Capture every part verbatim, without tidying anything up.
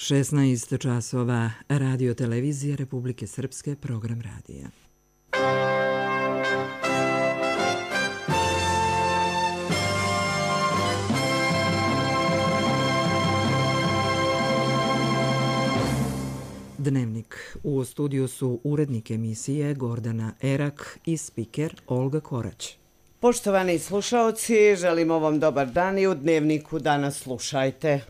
šesnaest časova, Radio Televizija Republike Srpske, program radija. Dnevnik. U studiju su urednik emisije Gordana Erak i spiker Olga Korać. Poštovani slušaoci, želimo vam dobar dan i u Dnevniku danas slušajte.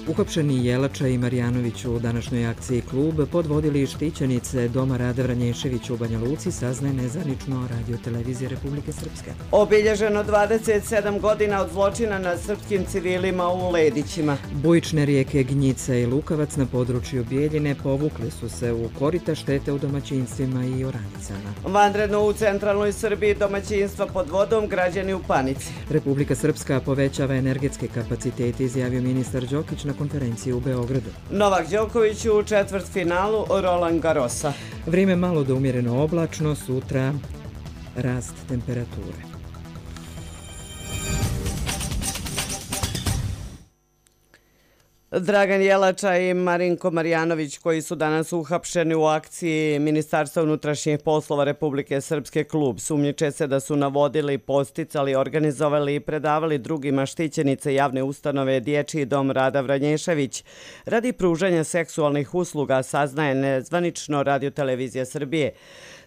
Uhapšeni Jelača i Marjanović u današnjoj akciji Klub podvodili štićenice Doma Rada Vranješević u Banja Luci, saznaje nezvanično Radio Televizije Republike Srpske. Obilježeno dvadeset sedam godina od zločina nad srpskim civilima u Ledićima. Bujične rijeke Gnjica i Lukavac na području Bijeljine povukli su se u korita, štete u domaćinstvima i oranicama. Vanredno u centralnoj Srbiji domaćinstva pod vodom, građani u panici. Republika Srpska povećava energetske kapacitete, izjavio ministar Đokić na konferenciji u Beogradu. Novak Đoković u četvrtfinalu Roland Garrosa. Vrijeme malo do umjereno oblačno, sutra rast temperature. Dragan Jelača i Marinko Marjanović, koji su danas uhapšeni u akciji Ministarstva unutrašnjih poslova Republike Srpske Klub, sumnjiče se da su navodili, posticali, organizovali i predavali drugima štićenice javne ustanove Dječji dom Rada Vranješević radi pružanja seksualnih usluga, saznaje nezvanično Radio Televizija Srbije.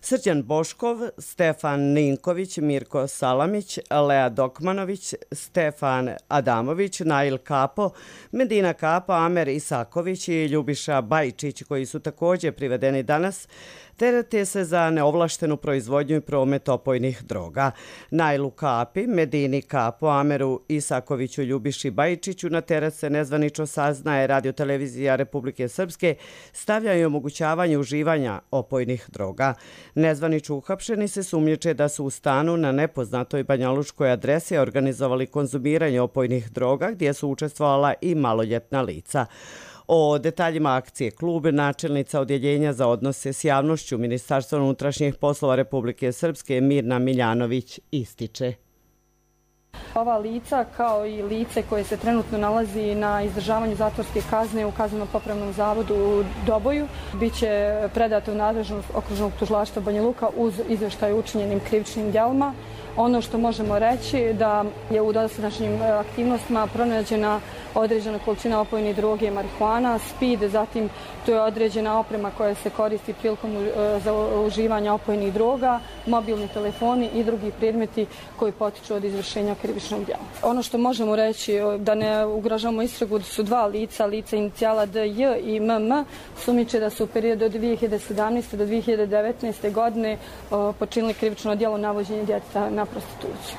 Srđan Boškov, Stefan Ninković, Mirko Salamić, Lea Dokmanović, Stefan Adamović, Nail Kapo, Medina Kapo, Amer Isaković i Ljubiša Bajčić, koji su također privedeni danas, terete se za neovlaštenu proizvodnju i promet opojnih droga. Nailu Kapi, Medini Kapo, Ameru Isakoviću, Ljubiši Bajčiću na teret se nezvanično, saznaje Radio Televizija Republike Srpske, stavljaju omogućavanje uživanja opojnih droga. Nezvanično uhapšeni se sumnjiče da su u stanu na nepoznatoj banjaluškoj adresi organizovali konzumiranje opojnih droga gdje su učestvovala i maloljetna lica. O detaljima akcije Klub načelnica Odjeljenja za odnose s javnošću Ministarstva unutrašnjih poslova Republike Srpske Mirna Miljanović ističe. Ova lica, kao i lice koje se trenutno nalazi na izdržavanju zatvorske kazne u Kazneno-popravnom zavodu u Doboju, bit će predato u nadležnost okružnog tužilaštva Banja Luka uz izvještaj o učinjenim krivičnim djelima. Ono što možemo reći da je u dosadašnjim aktivnostima pronađena određena količina opojne droge, marihuana, speed, zatim to je određena oprema koja se koristi prilikom za uživanje opojnih droga, mobilni telefoni i drugi predmeti koji potiču od izvršenja krivičnog djela. Ono što možemo reći da ne ugrožavamo istragu su dva lica, lica inicijala D J i M M, sumnjiče da su u periodu od dvije hiljade sedamnaeste do dvije hiljade devetnaeste godine počinili krivično djelo navođenja djeteta na prostituciju.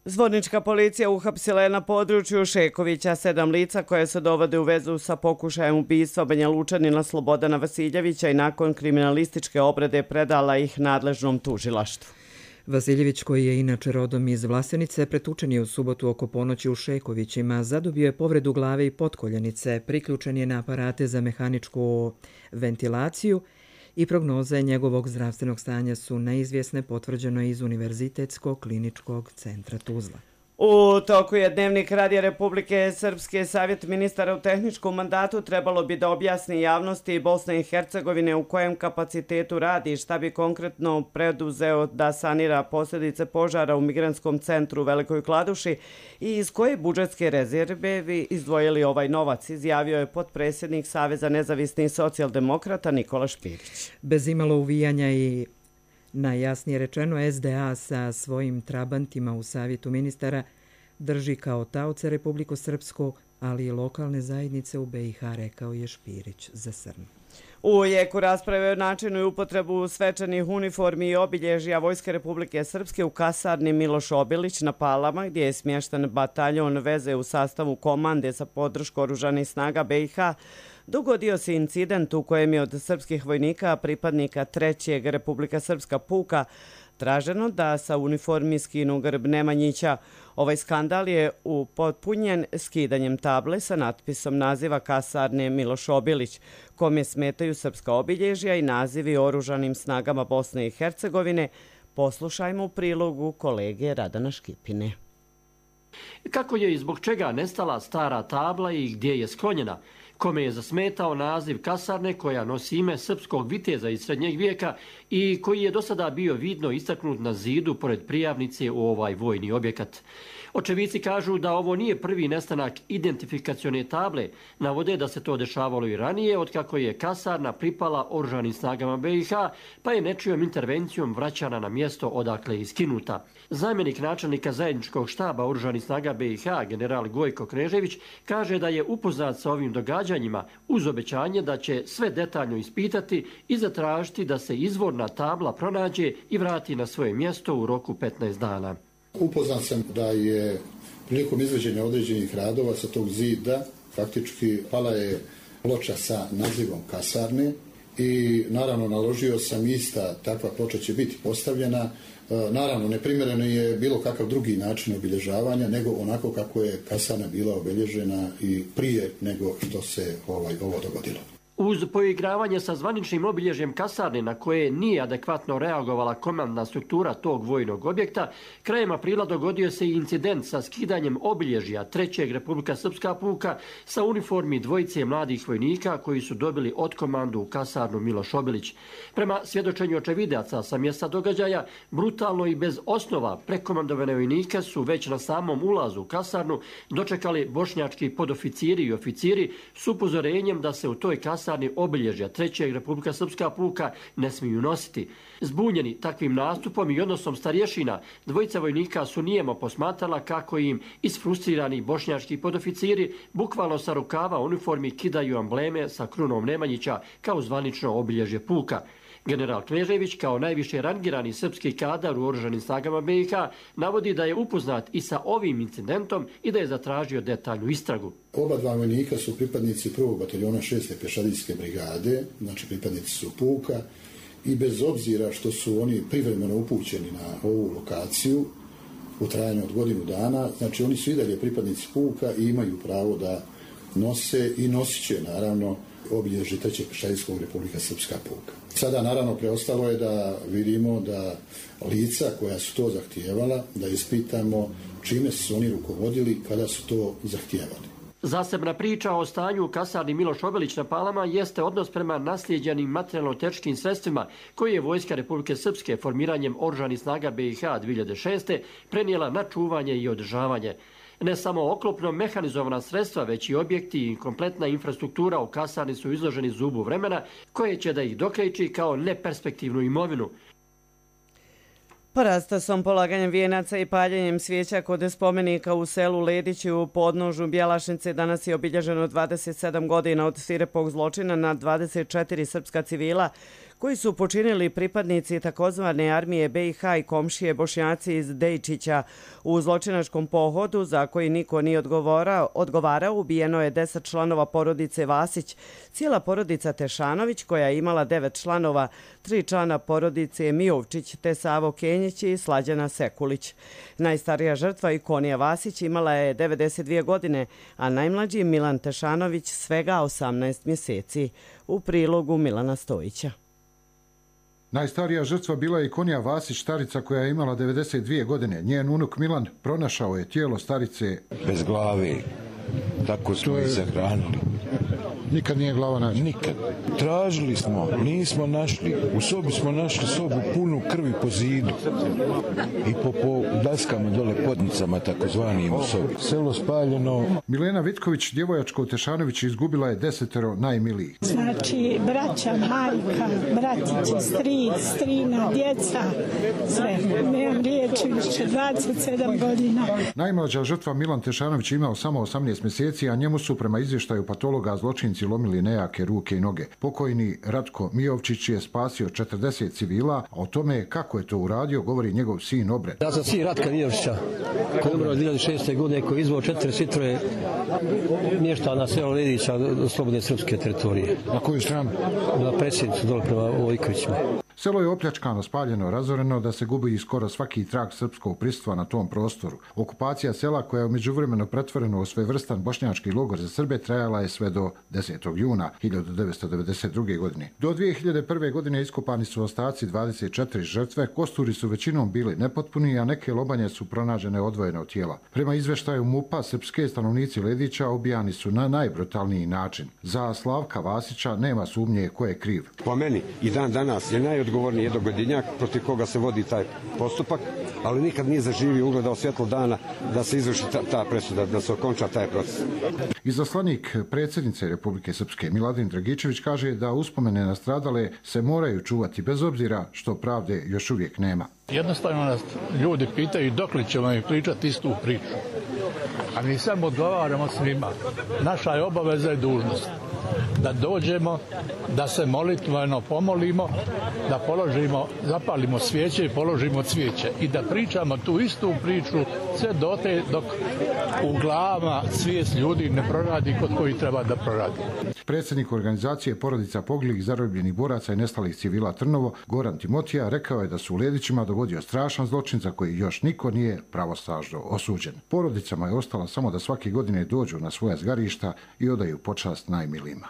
Zvornička policija uhapsila je na području Šekovića sedam lica koje se dovode u vezu sa pokušajem ubistva Banja Lučanina Slobodana Vasiljevića i nakon kriminalističke obrade predala ih nadležnom tužilaštvu. Vasiljević, koji je inače rodom iz Vlasenice, pretučen je u subotu oko ponoći u Šekovićima, zadobio je povredu glave i potkoljenice, priključen je na aparate za mehaničku ventilaciju i prognoze njegovog zdravstvenog stanja su neizvjesne, potvrđeno iz Univerzitetskog kliničkog centra Tuzla. U toku je Dnevnik Radija Republike Srpske. Savjet ministara u tehničkom mandatu trebalo bi da objasni javnosti Bosne i Hercegovine u kojem kapacitetu radi i šta bi konkretno preduzeo da sanira posljedice požara u migrantskom centru u Velikoj Kladuši i iz koje budžetske rezerve bi izdvojili ovaj novac, izjavio je potpredsjednik Saveza nezavisnih socijaldemokrata Nikola Špirić. Bez imalo uvijanja i najjasnije rečeno, S D A sa svojim trabantima u savjetu ministara drži kao taoce Republiku Srpsku, ali i lokalne zajednice u B i H, rekao je Špirić za S R N. U jeku rasprave o načinu i upotrebu svečanih uniformi i obilježja Vojske Republike Srpske u kasarni Miloš Obilić na Palama, gdje je smješten bataljon veze u sastavu komande sa podrškom oružanih snaga B i H, dogodio se incident u kojem je od srpskih vojnika, pripadnika trećeg Republika Srpska puka, traženo da sa uniformi skinu grb Nemanjića. Ovaj skandal je upotpunjen skidanjem table sa natpisom naziva kasarne Miloš Obilić, kome smetaju srpska obilježja i nazivi oružanim snagama Bosne i Hercegovine, Poslušajmo u prilogu kolege Radana Škipine. Kako je i zbog čega nestala stara tabla i gdje je sklonjena? Kome je zasmetao naziv kasarne koja nosi ime srpskog viteza iz srednjeg vijeka i koji je do sada bio vidno istaknut na zidu pored prijavnice u ovaj vojni objekat? Očevici kažu da ovo nije prvi nestanak identifikacione table. Navode da se to dešavalo i ranije, otkako je kasarna pripala oružanim snagama B i H, pa je nečijom intervencijom vraćana na mjesto odakle je iskinuta. Zamjenik načelnika zajedničkog štaba oružanih snaga B i H, general Gojko Knežević, kaže da je upoznat sa ovim događanjima uz obećanje da će sve detaljno ispitati i zatražiti da se izvorna tabla pronađe i vrati na svoje mjesto u roku petnaest dana. Upoznat sam da je prilikom izvođenja određenih radova sa tog zida faktički pala je ploča sa nazivom kasarne i naravno naložio sam ista takva ploča će biti postavljena. Naravno neprimjereno je bilo kakav drugi način obilježavanja nego onako kako je kasarna bila obilježena i prije nego što se ovaj, ovo dogodilo. Uz poigravanje sa zvaničnim obilježjem kasarne na koje nije adekvatno reagovala komandna struktura tog vojnog objekta, krajem aprila dogodio se i incident sa skidanjem obilježja trećeg Republika Srpska puka sa uniformi dvojice mladih vojnika koji su dobili od komandu u kasarnu Miloš Obilić. Prema svjedočenju očevidaca sa mjesta događaja, brutalno i bez osnova prekomandovane vojnike su već na samom ulazu u kasarnu dočekali bošnjački podoficiri i oficiri s upozorenjem da se u toj kasarni obilježja trećeg Republika Srpska puka ne smiju nositi. Zbunjeni takvim nastupom i odnosom starješina, dvojica vojnika su nijemo posmatrala kako im isfrustrirani bošnjački podoficiri bukvalno sa rukava uniformi kidaju ambleme sa krunom Nemanjića kao zvanično obilježje puka. General Knežević, kao najviše rangirani srpski kadar u oružanim snagama B i H, navodi da je upoznat i sa ovim incidentom i da je zatražio detaljnu istragu. Oba dva vojnika su pripadnici prvog bataljona šeste pješadijske brigade, znači pripadnici su puka i bez obzira što su oni privremeno upućeni na ovu lokaciju u trajanju od godinu dana, znači oni su i dalje pripadnici puka i imaju pravo da nose i nosit će naravno obilježje trećeg pješadijskog Republika Srpska puka. Sada naravno preostalo je da vidimo da lica koja su to zahtijevala, da ispitamo čime su oni rukovodili kada su to zahtijevali. Zasebna priča o stanju u kasarni Miloš Obilić na Palama jeste odnos prema naslijeđenim materijalno-tehničkim sredstvima koje je Vojska Republike Srpske formiranjem oružanih snaga B i H dvije hiljade šeste prenijela na čuvanje i održavanje. Ne samo oklopno mehanizovana sredstva, već i objekti i kompletna infrastruktura u kasarni su izloženi zubu vremena koje će da ih dokreći kao neperspektivnu imovinu. Parastasom, polaganjem vijenaca i paljenjem svijeća kod spomenika u selu Ledići u podnožu Bjelašnice danas je obilježeno dvadeset sedam godina od svirepog zločina na dvadeset četiri srpska civila koji su počinili pripadnici takozvane armije B i H i komšije Bošnjaci iz Dejčića. U zločinačkom pohodu za koji niko nije odgovarao, odgovarao ubijeno je deset članova porodice Vasić, cijela porodica Tešanović koja je imala devet članova, tri člana porodice Mijovčić te Savo Kenjić i Slađana Sekulić. Najstarija žrtva Ikonija Vasić imala je devedeset dvije godine, a najmlađi Milan Tešanović svega osamnaest mjeseci. U prilogu Milana Stojića. Najstarija žrtva bila je Ikonija Vasić, starica koja je imala devedeset dvije godine. Njen unuk Milan pronašao je tijelo starice bez glave. Tako smo je... ih sahranili. Nikad nije glava nađena? Nikad. Tražili smo, nismo našli. U sobi smo našli sobu punu krvi po zidu. I po, po daskama dole podnicama, takozvanim u sobi. Selo spaljeno. Milena Vitković, djevojačka u Tešanović, izgubila je desetero najmilijih. Znači, braća, majka, bratići, stric, strina, djeca, sve. Nemam riječi, više dvadeset sedam godina. Najmlađa žrtva Milan Tešanović imao samo osamnaest mjeseci, a njemu su prema izvještaju patologa zločinci lomili nejake ruke i noge. Pokojni Ratko Mijovčić je spasio četrdeset civila, a o tome kako je to uradio govori njegov sin Obred. Ja sam sin Ratka Mijovčića, koji je umro dvije hiljade šeste. godine, koji je izvao četiri sitroje mješta na selo Ledića do slobodne srpske teritorije. Na koju stranu? Na predsjednicu dole prema Vojkovićima. Selo je opljačkano, spaljeno, razoreno da se gubi skoro svaki trag srpskog prisustva na tom prostoru. Okupacija sela, koja je međuvremeno pretvorena u svojevrstan bošnjački logor za Srbe, trajala je sve do desetog juna hiljadu devetsto devedeset druge. godine. Do dvije hiljade prve. godine iskopani su ostaci dvadeset četiri žrtve, kosturi su većinom bili nepotpuni, a neke lobanje su pronađene odvojene od tijela. Prema izveštaju MUP-a, srpske stanovnici Ledića ubijani su na najbrutalniji način. Za Slavka Vasića nema sumnje ko je kriv. Po meni i dan danas je najodgovorniji jednogodinjak protiv koga se vodi taj postupak, ali nikad nije zaživio, ugledao svjetlo dana da se izvrši ta, ta presuda, da se okonča taj proces. Izaslanik predsjednice Republike Srpske Miladin Dragičević kaže da uspomene na stradale se moraju čuvati bez obzira što pravde još uvijek nema. Jednostavno nas ljudi pitaju dok li ćemo im pričati istu priču. A mi samo odgovaramo svima. Naša je obaveza i dužnost da dođemo, da se molitveno pomolimo, da položimo, zapalimo svijeće i položimo cvijeće i da pričamo tu istu priču sve dote dok u glavama svijest ljudi ne proradi kod koji treba da proradi. Predsjednik organizacije porodica poginulih, zarobljenih boraca i nestalih civila Trnovo, Goran Timotija, rekao je da su u Ledićima dogodio strašan zločin za koji još niko nije pravosnažno osuđen. Porodicama je ostalo samo da svake godine dođu na svoja zgarišta i odaju počast najmilijima.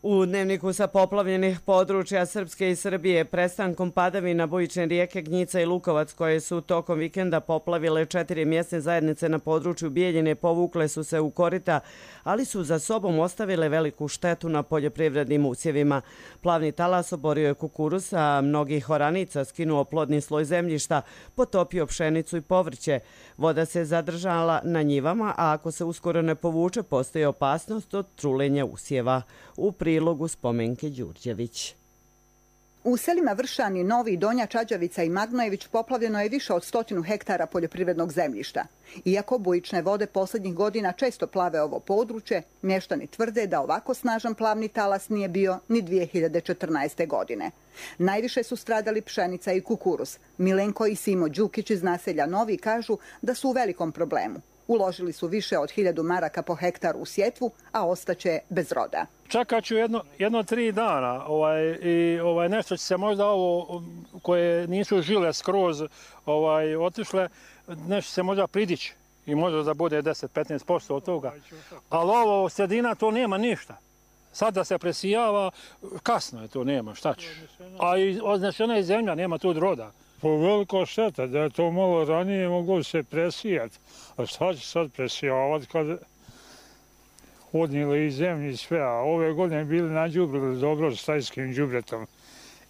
U dnevniku sa poplavljenih područja Srpske i Srbije prestankom padavina bujične rijeke Gnjica i Lukovac, koje su tokom vikenda poplavile četiri mjesne zajednice na području Bijeljine, povukle su se u korita, ali su za sobom ostavile veliku štetu na poljoprivrednim usjevima. Plavni talas oborio je kukuruz, a mnogih oranica skinuo plodni sloj zemljišta, potopio pšenicu i povrće. Voda se zadržala na njivama, a ako se uskoro ne povuče, postoji opasnost od trulenja usjeva. U prilogu Spomenke Đurđević. U selima Vršani, Novi, Donja Čađavica i Magnojević poplavljeno je više od stotinu hektara poljoprivrednog zemljišta. Iako bujične vode posljednjih godina često plave ovo područje, mještani tvrde da ovako snažan plavni talas nije bio ni dvije hiljade četrnaeste. godine. Najviše su stradali pšenica i kukuruz. Milenko i Simo Đukić iz naselja Novi kažu da su u velikom problemu. Uložili su više od hiljadu maraka po hektaru u sjetvu, a ostaće bez roda. Čekat ću jedno, jedno tri dana ovaj, i ovaj, nešto će se možda ovo koje nisu žile skroz ovaj, otišle, nešto se možda pridići i možda da bude deset do petnaest posto od toga. Ali ovo sredina to nema ništa. Sad da se presijava, kasno je to, nema, šta će. A i označena je zemlja, nema tu roda. Po veliko šteta, da je to malo ranije moglo se presijati. A šta će sad presijavati kad odnijeli i zemlji i sve, a ove godine bili nađubrili dobro s tajskim đubretom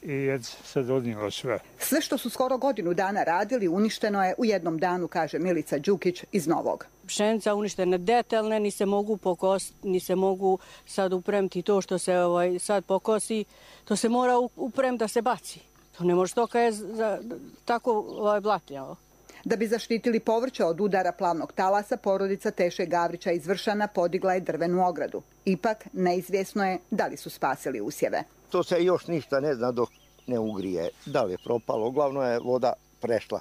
i je sad odnijelo sve. Sve što su skoro godinu dana radili uništeno je u jednom danu, kaže Milica Đukić iz Novog. Pšenica uništene detaljne, ni se mogu pokositi, ni se mogu sad upremiti to što se ovaj, sad pokosi, to se mora upremiti da se baci. To ne može stoka je za, tako ovaj, blatnjavo. Da bi zaštitili povrće od udara plavnog talasa, porodica Teše Gavrića iz Vršana podigla je drvenu ogradu. Ipak, neizvjesno je da li su spasili usjeve. To se još ništa ne zna dok ne ugrije. Da li je propalo? Uglavnom je voda prešla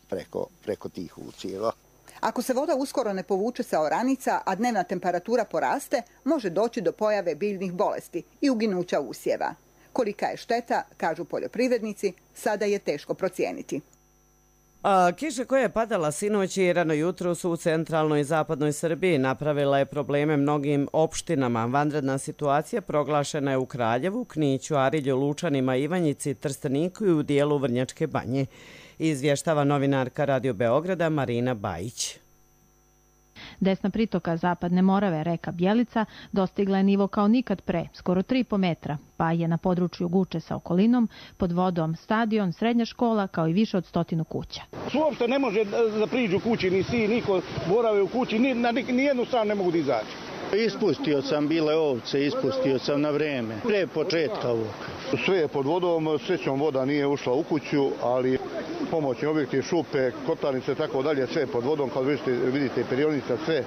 preko, preko tih usjeva. Ako se voda uskoro ne povuče sa oranica, a dnevna temperatura poraste, može doći do pojave biljnih bolesti i uginuća usjeva. Kolika je šteta, kažu poljoprivrednici, sada je teško procijeniti. A, kiša koja je padala sinoć i rano jutro su u centralnoj i zapadnoj Srbiji napravila je probleme mnogim opštinama. Vanredna situacija proglašena je u Kraljevu, Kniću, Arilju, Lučanima, Ivanjici, Trsteniku i u dijelu Vrnjačke Banje. Izvještava novinarka Radio Beograda Marina Bajić. Desna pritoka Zapadne Morave, reka Bjelica, dostigla je nivo kao nikad pre, skoro tri i po metra, pa je na području Guče sa okolinom pod vodom stadion, srednja škola, kao i više od stotinu kuća. Uopšte ne može da priđu kući, ni si, niko borave u kući, ni, na nijednu stranu ne mogu da izaći. Ispustio sam bile ovce, ispustio sam na vreme, pre početka ovog. Sve je pod vodom, srećom voda nije ušla u kuću, ali pomoćni objekti, šupe, kotlarnice, tako dalje, sve je pod vodom, kao vidite, vidite perionica, sve.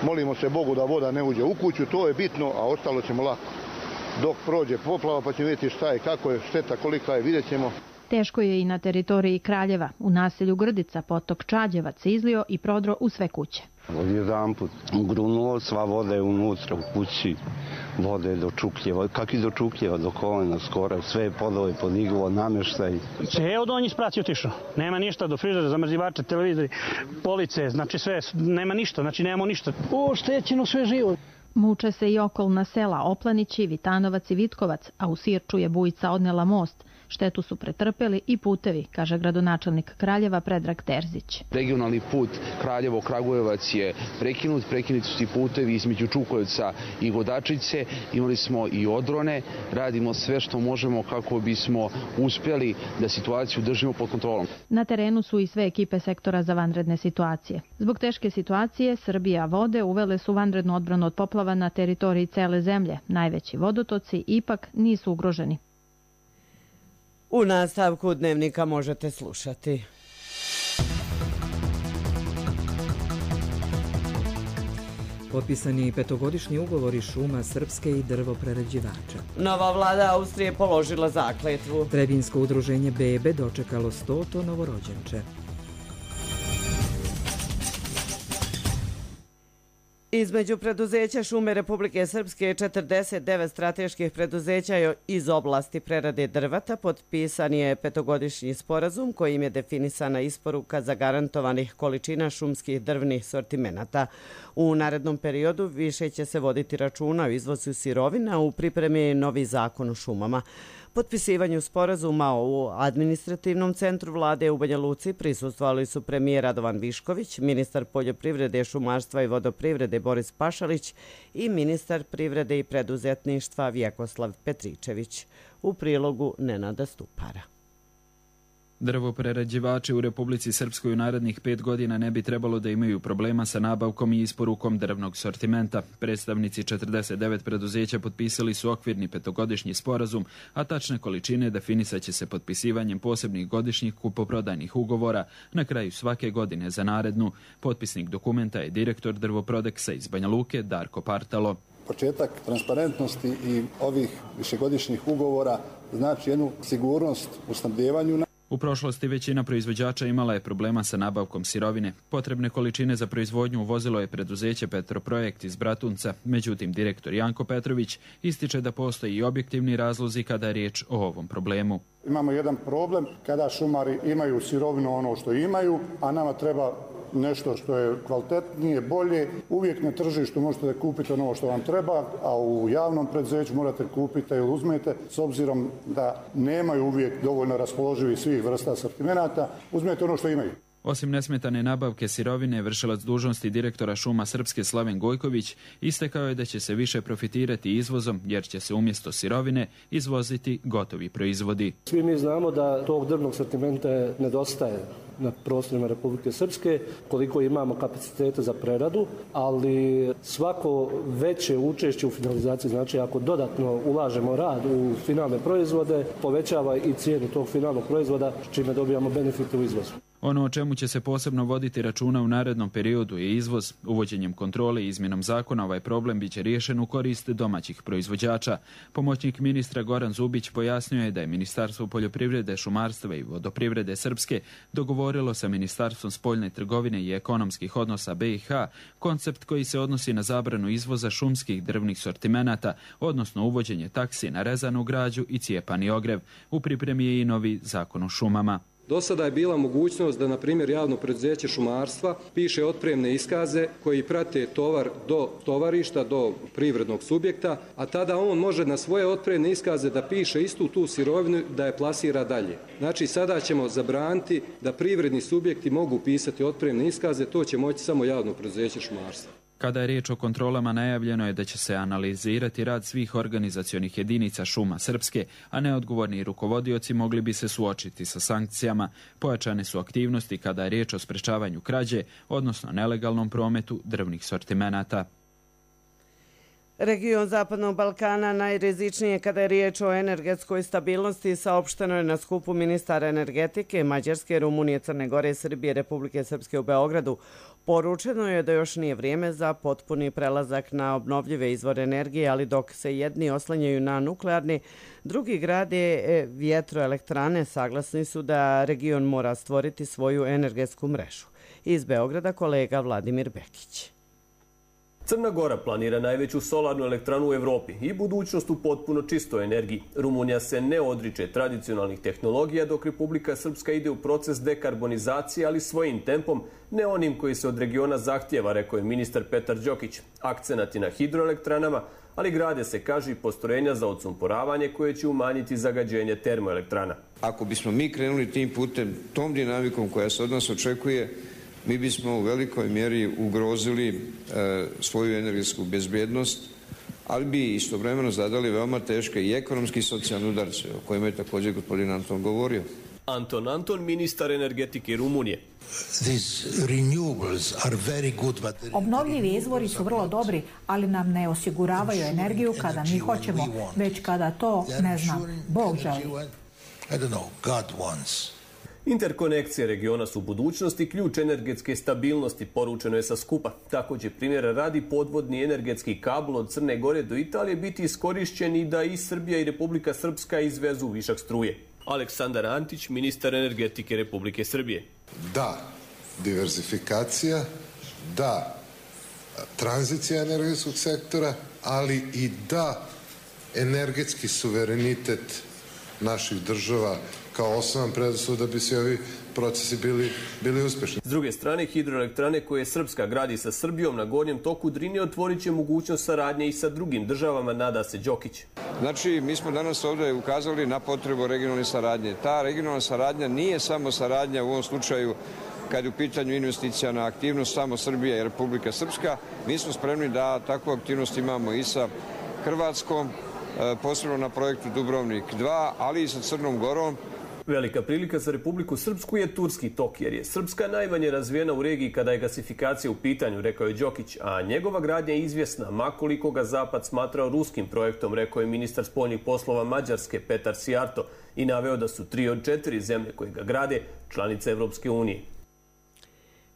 Molimo se Bogu da voda ne uđe u kuću, to je bitno, a ostalo ćemo lako. Dok prođe poplava pa ćemo vidjeti šta je, kako je, šteta, kolika je, vidjet ćemo. Teško je i na teritoriji Kraljeva. U naselju Grdica potok Čađevac se izlio i prodro u sve kuće. Odjedan put grunulo, sva voda je unutra u kući, vode do čukljeva, kak i do čukljeva, do kolena skoro, sve podove podiglo, namještaj. Ceo donji sprac je otišao, nema ništa, do frižera, zamrzivača, televizori, police, znači sve, nema ništa, znači nemamo ništa. O, štećeno sve živo. Muče se i okolna sela Oplanići, Vitanovac i Vitkovac, a u Sirču je bujica odnela most. Štetu su pretrpeli i putevi, kaže gradonačelnik Kraljeva Predrag Terzić. Regionalni put Kraljevo-Kragujevac je prekinut, prekinuti su ti putevi između Čukovca i Godačice, imali smo i odrone, radimo sve što možemo kako bismo uspjeli da situaciju držimo pod kontrolom. Na terenu su i sve ekipe sektora za vanredne situacije. Zbog teške situacije, Srbija vode uvele su vanrednu odbranu od poplava na teritoriji cele zemlje. Najveći vodotoci ipak nisu ugroženi. U nastavku dnevnika možete slušati. Potpisani petogodišnji ugovori šuma Srpske i drvoprerađivača. Nova vlada Austrije položila zakletvu. Trebinsko udruženje Bebe dočekalo stoto novorođenče. Između preduzeća Šume Republike Srpske i četrdeset devet strateških preduzeća iz oblasti prerade drveta potpisan je petogodišnji sporazum kojim je definisana isporuka zagarantovanih količina šumskih drvnih sortimenata. U narednom periodu više će se voditi računa o izvozu sirovina, u pripremi novi zakon o šumama. Potpisivanju sporazuma u administrativnom centru vlade u Banja Luci prisustvovali su premijer Radovan Višković, ministar poljoprivrede, šumarstva i vodoprivrede Boris Pašalić i ministar privrede i preduzetništva Vjekoslav Petričević. U prilogu Nenada Stupara. Drvoprerađivači u Republici Srpskoj u narednih pet godina ne bi trebalo da imaju problema sa nabavkom i isporukom drvnog sortimenta. Predstavnici četrdeset devet preduzeća potpisali su okvirni petogodišnji sporazum, a tačne količine definisat će se potpisivanjem posebnih godišnjih kupoprodajnih ugovora na kraju svake godine za narednu. Potpisnik dokumenta je direktor Drvoprodeksa iz Banja Luke Darko Partalo. Početak transparentnosti i ovih višegodišnjih ugovora znači jednu sigurnost u snabdevanju. U prošlosti većina proizvođača imala je problema sa nabavkom sirovine. Potrebne količine za proizvodnju uvozilo je preduzeće Petroprojekt iz Bratunca. Međutim, direktor Janko Petrović ističe da postoji i objektivni razlozi kada je riječ o ovom problemu. Imamo jedan problem kada šumari imaju sirovinu ono što imaju, a nama treba nešto što je kvalitetnije, bolje. Uvijek na tržištu možete da kupite ono što vam treba, a u javnom preduzeću morate kupiti ili uzmete, s obzirom da nemaju uvijek dovoljno raspoloživih svih vrsta sortimenata, uzmete ono što imaju. Osim nesmetane nabavke sirovine, vršilac dužnosti direktora Šuma Srpske Slaven Gojković istakao je da će se više profitirati izvozom, jer će se umjesto sirovine izvoziti gotovi proizvodi. Svi mi znamo da tog drvnog sortimenta nedostaje na prostorima Republike Srpske, koliko imamo kapacitete za preradu, ali svako veće učešće u finalizaciji, znači ako dodatno ulažemo rad u finalne proizvode, povećava i cijenu tog finalnog proizvoda, čime dobijamo benefite u izvozu. Ono o čemu će se posebno voditi računa u narednom periodu je izvoz. Uvođenjem kontrole i izmjenom zakona ovaj problem biće riješen u korist domaćih proizvođača. Pomoćnik ministra Goran Zubić pojasnio je da je Ministarstvo poljoprivrede, šumarstva i vodoprivrede Srpske dogovorilo sa Ministarstvom spoljne trgovine i ekonomskih odnosa B i H koncept koji se odnosi na zabranu izvoza šumskih drvnih sortimenata, odnosno uvođenje taksi na rezanu građu i cijepani ogrev. U pripremi je i novi zakon o šumama. Do sada je bila mogućnost da, na primjer, javno preduzeće šumarstva piše otpremne iskaze koji prate tovar do tovarišta, do privrednog subjekta, a tada on može na svoje otpremne iskaze da piše istu tu sirovinu da je plasira dalje. Znači, sada ćemo zabraniti da privredni subjekti mogu pisati otpremne iskaze, to će moći samo javno preduzeće šumarstva. Kada je riječ o kontrolama, najavljeno je da će se analizirati rad svih organizacionih jedinica Šuma Srpske, a neodgovorni rukovodioci mogli bi se suočiti sa sankcijama. Pojačane su aktivnosti kada je riječ o sprečavanju krađe, odnosno nelegalnom prometu drvnih sortimenata. Region Zapadnog Balkana najrizičnije kada je riječ o energetskoj stabilnosti saopšteno je na skupu ministara energetike Mađarske, Rumunije, Crne Gore, Srbije, Republike Srpske u Beogradu. Poručeno je da još nije vrijeme za potpuni prelazak na obnovljive izvore energije, ali dok se jedni oslanjaju na nuklearni, drugi grade vjetroelektrane, saglasni su da region mora stvoriti svoju energetsku mrežu. Iz Beograda kolega Vladimir Bekić. Crna Gora planira najveću solarnu elektranu u Evropi i budućnost u potpuno čistoj energiji. Rumunija se ne odriče tradicionalnih tehnologija, dok Republika Srpska ide u proces dekarbonizacije, ali svojim tempom, ne onim koji se od regiona zahtjeva, rekao je ministar Petar Đokić. Akcenat je na hidroelektranama, ali grade se, kaže, i postrojenja za odsumporavanje koje će umanjiti zagađenje termoelektrana. Ako bismo mi krenuli tim putem, tom dinamikom koja se od nas očekuje, mi bismo u velikoj mjeri ugrozili e, svoju energetsku bezbjednost, ali bi istovremeno zadali veoma teške i ekonomski i socijalne udarce, o kojima je također gospodin Anton govorio. Anton Anton, ministar energetike Rumunije. Obnovljivi izvori su vrlo dobri, ali nam ne osiguravaju energiju kada mi hoćemo, već kada to, ne znam, Bog želi. Interkonekcije regiona su budućnosti, ključ energetske stabilnosti, poručeno je sa skupa. Tako će primjera radi podvodni energetski kabel od Crne Gore do Italije biti iskorišćen i da i Srbija i Republika Srpska izvezu višak struje. Aleksandar Antić, ministar energetike Republike Srbije. Da, diverzifikacija, da, tranzicija energetskog sektora, ali i da, energetski suverenitet naših država kao osnovan preduslov da bi se ovi procesi bili, bili uspješni. S druge strane, hidroelektrane koje Srpska gradi sa Srbijom na gornjem toku Drine otvorit će mogućnost saradnje i sa drugim državama, nada se Đokić. Znači, mi smo danas ovdje ukazali na potrebu regionalne saradnje. Ta regionalna saradnja nije samo saradnja u ovom slučaju kad je u pitanju investicijana aktivnost samo Srbija i Republika Srpska. Mi smo spremni da takvu aktivnost imamo i sa Hrvatskom, posebno na projektu Dubrovnik dva, ali i sa Crnom Gorom. Velika prilika za Republiku Srpsku je Turski tok, jer je Srpska najmanje razvijena u regiji kada je gasifikacija u pitanju, rekao je Đokić, a njegova gradnja je izvjesna, makoliko ga Zapad smatrao ruskim projektom, rekao je ministar spoljnih poslova Mađarske Petar Sijarto i naveo da su tri od četiri zemlje koje ga grade članice Evropske unije.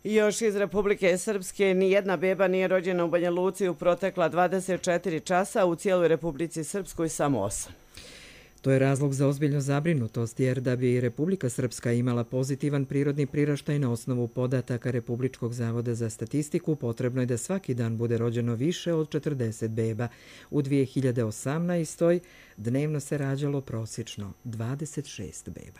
Još iz Republike Srpske nijedna beba nije rođena u Banja Luci u protekla dvadeset četiri časa, u cijeloj Republici Srpskoj samo osam. To je razlog za ozbiljnu zabrinutost, jer da bi Republika Srpska imala pozitivan prirodni priraštaj na osnovu podataka Republičkog zavoda za statistiku, potrebno je da svaki dan bude rođeno više od četrdeset beba. U dvije hiljade osamnaestoj. dnevno se rađalo prosječno dvadeset šest beba.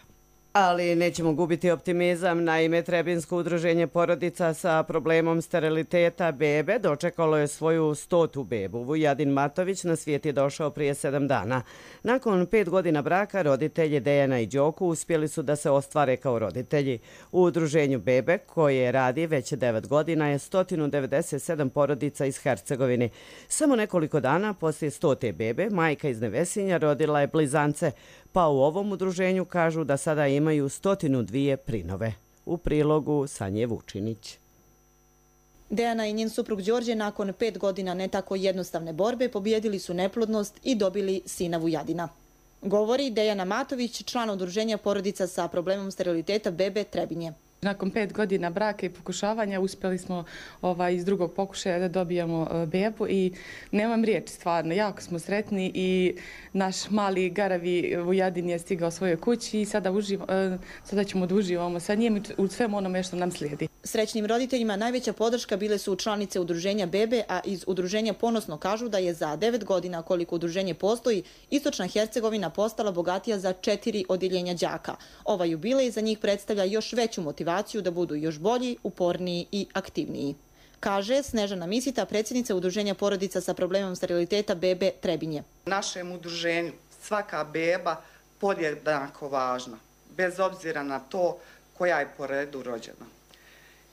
Ali nećemo gubiti optimizam. Naime, Trebinsko udruženje porodica sa problemom steriliteta bebe dočekalo je svoju stotu bebu. Vujadin Matović na svijet je došao prije sedam dana. Nakon pet godina braka, roditelji Dejana i Đoku uspjeli su da se ostvare kao roditelji. U udruženju bebe, koje radi već devet godina, je sto devedeset sedam porodica iz Hercegovine. Samo nekoliko dana poslije stote bebe, majka iz Nevesinja rodila je blizance, pa u ovom udruženju kažu da sada imaju stotinu dvije prinove. U prilogu Sanje Vučinić. Dejana i njen suprug Đorđe nakon pet godina ne tako jednostavne borbe pobijedili su neplodnost i dobili sina Vujadina. Govori Dejana Matović, član udruženja porodica sa problemom steriliteta bebe Trebinje. Nakon pet godina braka i pokušavanja uspjeli smo ovaj, iz drugog pokušaja da dobijemo bebu i nemam riječi stvarno. Jako smo sretni i naš mali garavi Vujadin je stigao svojoj kući i sada, uživa, sada ćemo da uživamo sa njim u svemu onome što nam slijedi. Srećnim roditeljima najveća podrška bile su članice udruženja bebe, a iz udruženja ponosno kažu da je za devet godina koliko udruženje postoji, Istočna Hercegovina postala bogatija za četiri odjeljenja đaka. Ova jubilej za njih predstavlja još veću motivaciju da budu još bolji, uporniji i aktivniji. Kaže Snežana Misita, predsjednica udruženja porodica sa problemom steriliteta bebe Trebinje. U našem udruženju svaka beba podjednako važna, bez obzira na to koja je po redu rođena.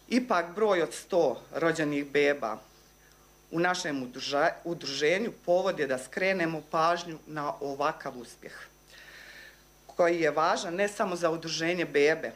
Ipak broj od sto rođenih beba u našem udruženju povod je da skrenemo pažnju na ovakav uspjeh, koji je važan ne samo za udruženje bebe,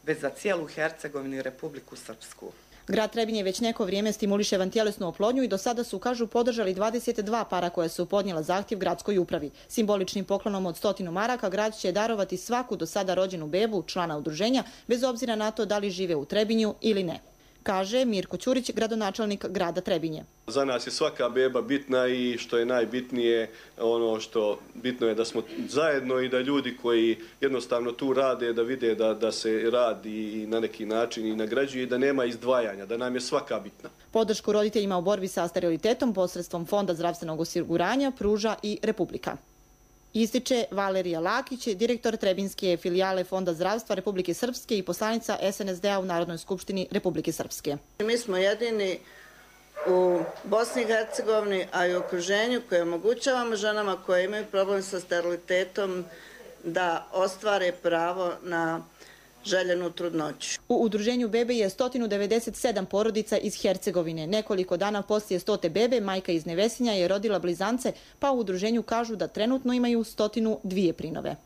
već za cijelu Hercegovinu i Republiku Srpsku. Grad Trebinje već neko vrijeme stimuliše vantjelesnu oplodnju i do sada su, kažu, podržali dvadeset dva para koje su podnijela zahtjev gradskoj upravi. Simboličnim poklonom od stotinu maraka grad će darovati svaku do sada rođenu bebu člana udruženja, bez obzira na to da li žive u Trebinju ili ne. kaže Mirko Ćurić, gradonačelnik grada Trebinje. Za nas je svaka beba bitna i što je najbitnije, ono što bitno je da smo zajedno i da ljudi koji jednostavno tu rade, da vide da, da se radi na neki način i nagrađuje i da nema izdvajanja, da nam je svaka bitna. Podršku roditeljima u borbi sa sterilitetom posredstvom Fonda zdravstvenog osiguranja pruža i Republika. Ističe Valerija Lakić, direktor Trebinske filijale Fonda zdravstva Republike Srpske i poslanica S N S D-a u Narodnoj skupštini Republike Srpske. Mi smo jedini u Bosni i Hercegovini, a i u okruženju koje omogućavamo ženama koje imaju problem sa sterilitetom da ostvare pravo na željenu trudnoću. U udruženju bebe je sto devedeset sedam porodica iz Hercegovine. Nekoliko dana poslije stote bebe, majka iz Nevesinja je rodila blizance, pa u udruženju kažu da trenutno imaju sto dva prinove.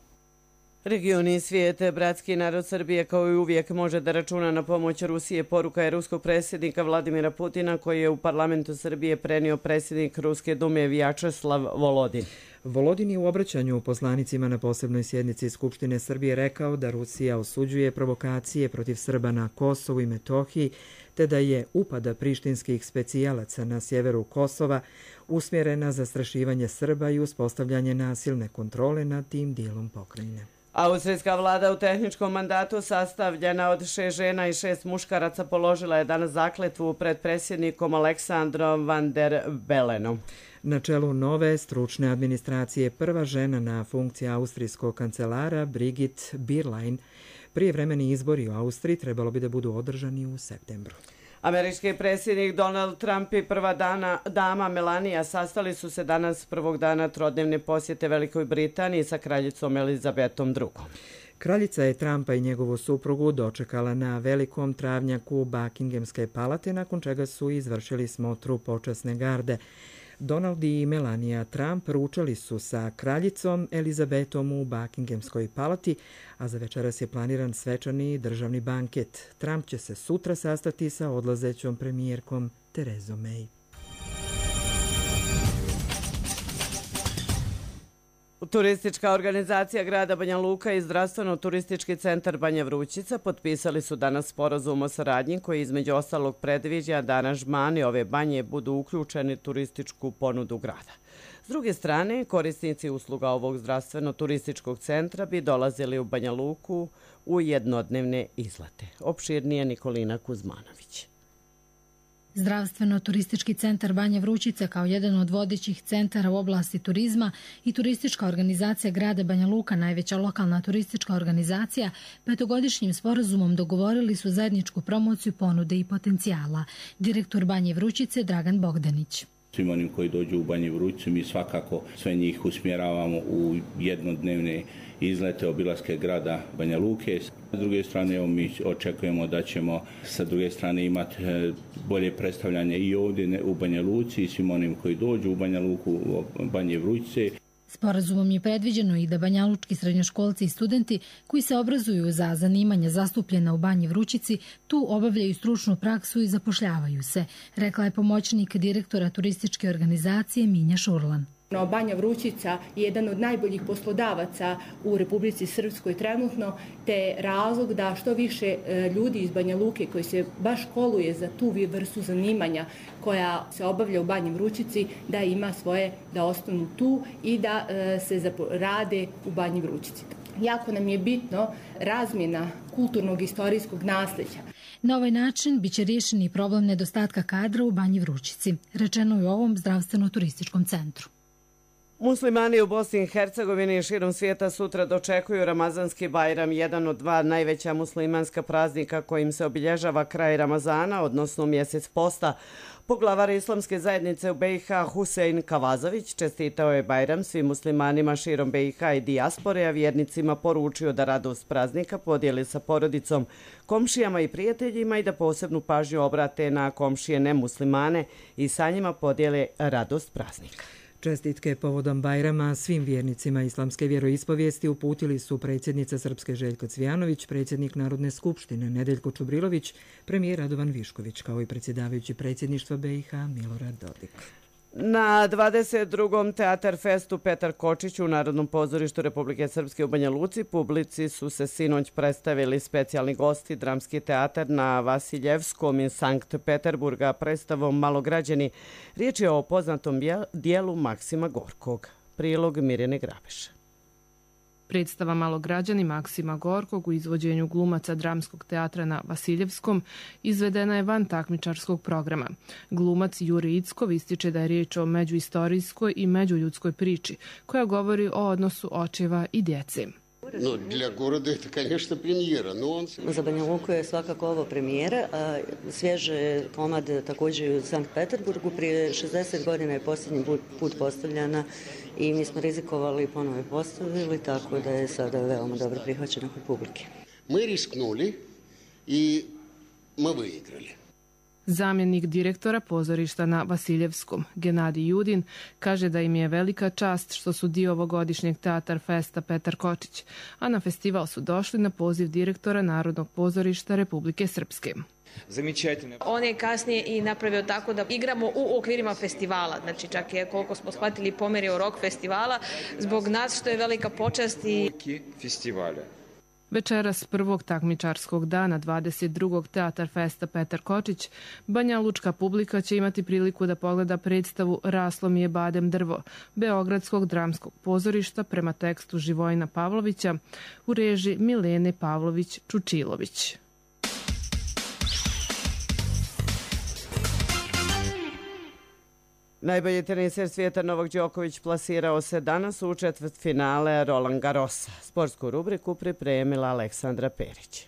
Regioni i svijete, bratski narod Srbije kao i uvijek može da računa na pomoć Rusije. Poruka je ruskog predsjednika Vladimira Putina koji je u parlamentu Srbije prenio predsjednik Ruske dume Vjačeslav Volodin. Volodin je u obraćanju poslanicima na posebnoj sjednici Skupštine Srbije rekao da Rusija osuđuje provokacije protiv Srba na Kosovu i Metohiji, te da je upada prištinskih specijalaca na sjeveru Kosova usmjerena zastrašivanje Srba i uspostavljanje nasilne kontrole nad tim dijelom pokrajine. Austrijska vlada u tehničkom mandatu sastavljena od šest žena i šest muškaraca položila je danas zakletvu pred predsjednikom Aleksandrom van der Belenom. Na čelu nove stručne administracije prva žena na funkciji austrijskog kancelara Brigit Birlein. Prijevremeni izbori u Austriji trebalo bi da budu održani u septembru. Američki predsjednik Donald Trump i prva dana, dama Melania sastali su se danas prvog dana trodnevne posjete Velikoj Britaniji sa kraljicom Elizabetom drugom. Kraljica je Trumpa i njegovu suprugu dočekala na velikom travnjaku Buckinghamske palate, nakon čega su izvršili smotru počasne garde. Donald i Melania Trump ručali su sa kraljicom Elizabetom u Buckinghamskoj palati, a za večeras je planiran svečani državni banket. Trump će se sutra sastati sa odlazećom premijerkom Terezom May. Turistička organizacija grada Banja Luka i zdravstveno-turistički centar Banja Vrućica potpisali su danas sporazum o saradnji koji između ostalog predviđa da aranžmani ove banje budu uključeni u turističku ponudu grada. S druge strane, korisnici usluga ovog zdravstveno-turističkog centra bi dolazili u Banja Luku u jednodnevne izlete. Opširnije Nikolina Kuzmanović. Zdravstveno-turistički centar Banja Vrućica kao jedan od vodećih centara u oblasti turizma i turistička organizacija grada Banja Luka, najveća lokalna turistička organizacija, petogodišnjim sporazumom dogovorili su zajedničku promociju ponude i potencijala. Direktor Banje Vrućice Dragan Bogdanić. Svim onim koji dođu u Banji Vrućicu mi svakako sve njih usmjeravamo u jednodnevne izlete, obilaske grada Banja Luke. S druge strane, evo, mi očekujemo da ćemo sa druge strane imati bolje predstavljanje i ovdje u Banja Luci i svim onim koji dođu u Banja Luku, u Banje Vrućice. Sporazumom je predviđeno i da banjalučki srednjoškolci i studenti koji se obrazuju za zanimanja zastupljena u Banji Vrućici tu obavljaju stručnu praksu i zapošljavaju se, rekla je pomoćnik direktora turističke organizacije Minja Šurlan. Banja Vrućica je jedan od najboljih poslodavaca u Republici Srpskoj trenutno, te razlog da što više ljudi iz Banja Luke koji se baš školuje za tu vrstu zanimanja koja se obavlja u Banji Vrućici, da ima svoje, da ostanu tu i da se rade u Banji Vrućici. Jako nam je bitno razmjena kulturnog i istorijskog nasljeđa. Na ovaj način biće riješen i problem nedostatka kadra u Banji Vrućici, rečeno je u ovom zdravstveno-turističkom centru. Muslimani u Bosni i Hercegovini i širom svijeta sutra dočekuju Ramazanski Bajram, jedan od dva najveća muslimanska praznika kojim se obilježava kraj Ramazana, odnosno mjesec posta. Poglavar Islamske zajednice u B i H Husein Kavazović čestitao je Bajram svim muslimanima širom B i H i dijaspore, a vjernicima poručio da radost praznika podijeli sa porodicom, komšijama i prijateljima i da posebnu pažnju obrate na komšije nemuslimane i sa njima podijele radost praznika. Čestitke povodom Bajrama svim vjernicima islamske vjeroispovijesti uputili su predsjednica Srpske Željko Cvijanović, predsjednik Narodne skupštine Nedeljko Čubrilović, premijer Radovan Višković, kao i predsjedavajući predsjedništva B i H Milorad Dodik. Na dvadeset drugom Teatar festu Petar Kočić u Narodnom pozorištu Republike Srpske u Banja Luci publici su se sinoć predstavili specijalni gosti Dramski teatar na Vasiljevskom iz Sankt Peterburga predstavom Malograđani. Riječ je o poznatom dijelu Maksima Gorkog. Prilog Mirjane Grabeša. Predstava Malograđani Maksima Gorkog u izvođenju glumaca Dramskog teatra na Vasiljevskom izvedena je van takmičarskog programa. Glumac Jure Ickov ističe da je riječ o međuistorijskoj i međuljudskoj priči koja govori o odnosu očeva i djece. No, для города это, конечно, премьера, но он... Za Banja Luku je svakako ovo premijera, a svježe komad također u Sankt Peterburgu. Prije šezdeset godina je posljednji put postavljena i mi smo rizikovali i ponovo je postavili, tako da je sada veoma dobro prihvaćena kod publike. Мы рискнули и мы выиграли. Zamjenik direktora pozorišta na Vasiljevskom, Genadij Judin, kaže da im je velika čast što su dio ovogodišnjeg Teatar festa Petar Kočić, a na festival su došli na poziv direktora Narodnog pozorišta Republike Srpske. On je kasnije i napravio tako da igramo u okvirima festivala, znači čak je koliko smo shvatili pomerio rok festivala, zbog nas što je velika počast i... Večeras prvog takmičarskog dana dvadeset drugog Teatar festa Petar Kočić, Banja Lučka publika će imati priliku da pogleda predstavu Raslo mi je badem drvo Beogradskog dramskog pozorišta prema tekstu Živojina Pavlovića u režiji Milene Pavlović-Čučilović. Najbolji teniser svijeta Novak Đoković plasirao se danas u četvrtfinale Roland Garrosa. Sportsku rubriku pripremila Aleksandra Perić.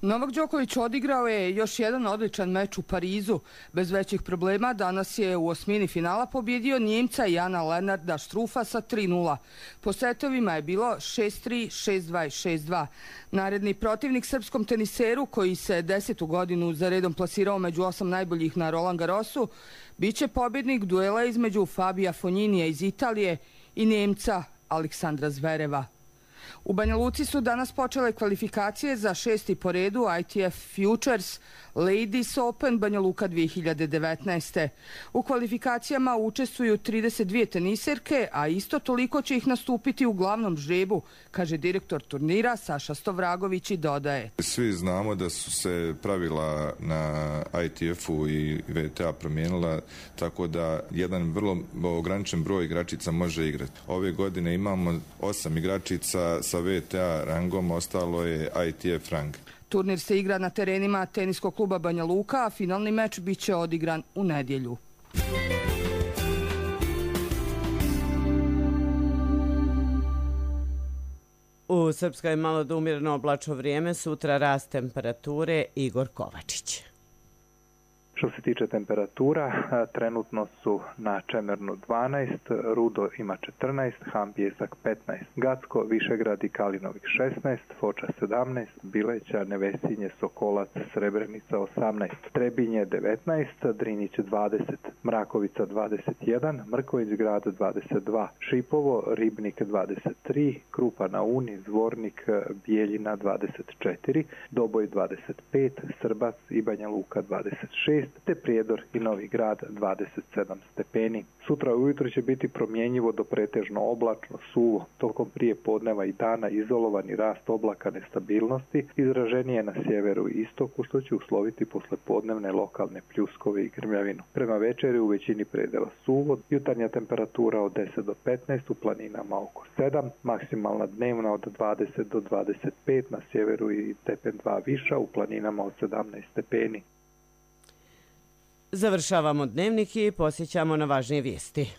Novak Đoković odigrao je još jedan odličan meč u Parizu. Bez većih problema danas je u osmini finala pobjedio Njemca Jana Lenarda Štrufasa tri nula. Po setovima je bilo šest tri, šest dva i šest dva. Naredni protivnik srpskom teniseru, koji se desetu godinu za redom plasirao među osam najboljih na Roland Garrosu, biće pobjednik duela između Fabija Fogniniija iz Italije i Njemca Aleksandra Zvereva. U Banja Luci su danas počele kvalifikacije za šesti po redu I T F Futures Ladies Open Banja Luka dvije hiljade devetnaeste. U kvalifikacijama učestvuju trideset dvije teniserke, a isto toliko će ih nastupiti u glavnom žrebu, kaže direktor turnira Saša Stovragović i dodaje. Svi znamo da su se pravila na I T F-u i V T A promijenila, tako da jedan vrlo ograničen broj igračica može igrati. Ove godine imamo osam igračica sa V T A rangom, ostalo je I T F rang. Turnir se igra na terenima teniskog kluba Banja Luka, a finalni meč biće odigran u nedjelju. U Srpskoj je malo da umjereno oblačno vrijeme, sutra rast temperature. Igor Kovačić. Što se tiče temperatura, trenutno su na Čemernu dvanaest, Rudo ima četrnaest, Ham Pijesak petnaest, Gacko, Višegrad i Kalinovik šesnaest, Foča sedamnaest, Bileća, Nevesinje, Sokolac, Srebrenica osamnaest, Trebinje devetnaest, Drinić dvadeset, Mrakovica dvadeset jedan, Mrković grad dvadeset dva, Šipovo, Ribnik dvadeset tri, Krupa na Uni, Zvornik, Bijeljina dvadeset četiri, Doboj dvadeset pet, Srbac i Banja Luka dvadeset šest, te Prijedor i Novi Grad dvadeset sedam stepeni. Sutra ujutro će biti promjenjivo do pretežno oblačno, suvo. Tokom prije podneva i dana izolovani rast oblaka nestabilnosti izraženije na sjeveru i istoku, što će usloviti posle podnevne lokalne pljuskove i grmljavinu. Prema večeri u većini predela suvo, jutarnja temperatura od deset do petnaest, u planinama oko sedam, maksimalna dnevna od dvadeset do dvadeset pet, na sjeveru i stepen dva viša, u planinama od sedamnaest stepeni. Završavamo dnevnik i posjećamo na važnije vijesti.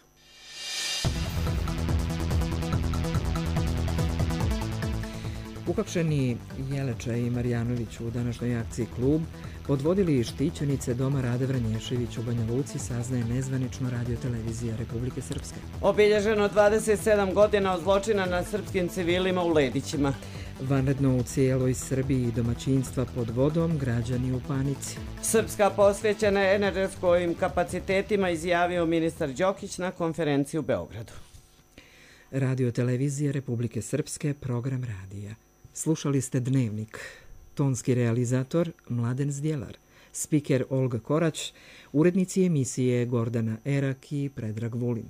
Uhapšeni Jeleča i Marjanović u današnjoj akciji Klub odvodili štićenice doma Rade Vranješević u Banja Luci, saznaje nezvanično Radio-televizija Republike Srpske. Obilježeno dvadeset sedam godina od zločina nad srpskim civilima u Ledićima. Vanredno u cijeloj Srbiji domaćinstva pod vodom, građani u panici. Srpska posvećena energetskim kapacitetima, izjavio ministar Đokić na konferenciji u Beogradu. Radio-televizija Republike Srpske, program radija. Slušali ste Dnevnik. Tonski realizator Mladen Zdjelar. spiker Olga Korać, urednici emisije Gordana Erak i Predrag Vulin.